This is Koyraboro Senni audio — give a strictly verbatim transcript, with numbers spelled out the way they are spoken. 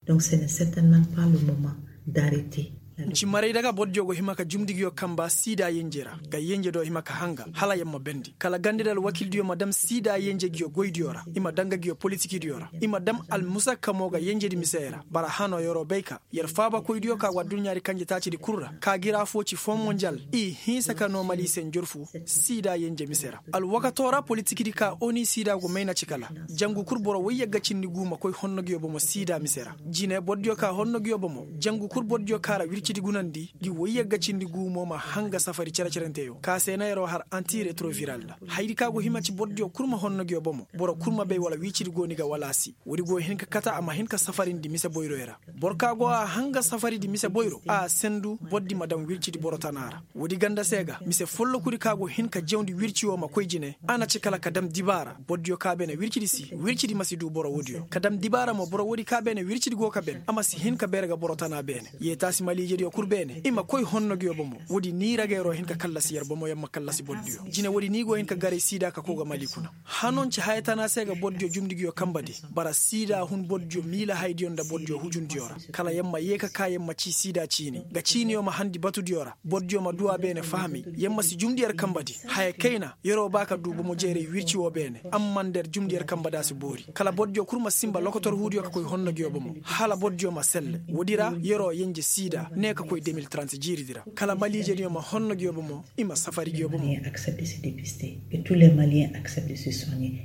Donc se ne certainement pas le moment d'arrêter. Nci maray daga bordiyo go hima ka jumdigiyo kamba siida yenje ra ga yenje do hima ka hanga hala yer ma bendi kala gande da alwakildiyo ma dam siida yenje giyo goydiyo ra i ma daŋ ga giyo politikidiyo ra i ma dam almusakka mo ga yenjedi misey ra bara hano yer'o bay ka yer faabakoydiyo ka go adduɲɲaadi kanje taacidi kul ra ka gi ra affoo ci foo monjal i hinsa ka noo mali se njorfu siida yenje mise ra alwakatoo ra politikidi ka oni siida go mayna ci kala jangu kul boro woy yagga cindi guu ma koy honno giyo bomo siida mise ra jine bordiyo ka honno giyo bomo jangu kul bordiyo ka ra wircidi gunandi gi woy yagga cindi guu mo ma hanga safari cere-cerenteyo ka se na yer'o har anti retroviral ra hayadi ka go hima ci bordiyo kul ma honno giyo bomo boro kul ma bay wala wircidi go ni ga wala a si woodi go hin ka kate a ma hin ka safarindi mise boyroyo ra boro ka go a hanga safaridi mise boyro a sendu bordi ma daŋ wircidi boro tana ra woodi ganda se ga mise follokudi ka go hin ka jawndi wirci wo ma koy jine a na ci kala ka dam dibaara bordiyo ka beene wircidi si wircidi ma si duu boro woodiyo ka dam dibaara mo boro woodi ka beene wircidi go ka ben a ma si hin ka beere ga boro tana beene yeetaasi maliijediyo kul beene i ma koy honno giyo bomo woodi ni ra ga yer'o hin ka kallasi yer bomo yer ma kallasi bordiyo jine woodi ni go hin ka garay siida ka koy ga mali kuna hanonci haya tana se ga bordiyo jumdigiyo kambadi bara siida hun bordiyo miila haydiyo nda bordiyo hujundiyo ra kala yer ma yee ka ka yer ma cii siida ciini ga ciiniyo ma handi batudiyo ra bordiyo ma duu a beene fahami yer ma si jumndi yer kambadi haya kayna yer'o ba ka duu bomo jeeray wirci woo beene amma nda yer jumndi yer kambadi a si boori kala bordiyo kul ma sinba lokotor huudiyo ka koy honno giyo bomo hala bordiyo ma selle woodi ra yer'o yenje siida ne ka koy deux mille trente jiiridi ra kala maliijediyo ma honno giyo bomo i ma safari giyo bomo. Accepte se dépister que tous les maliens accepte de se soigner.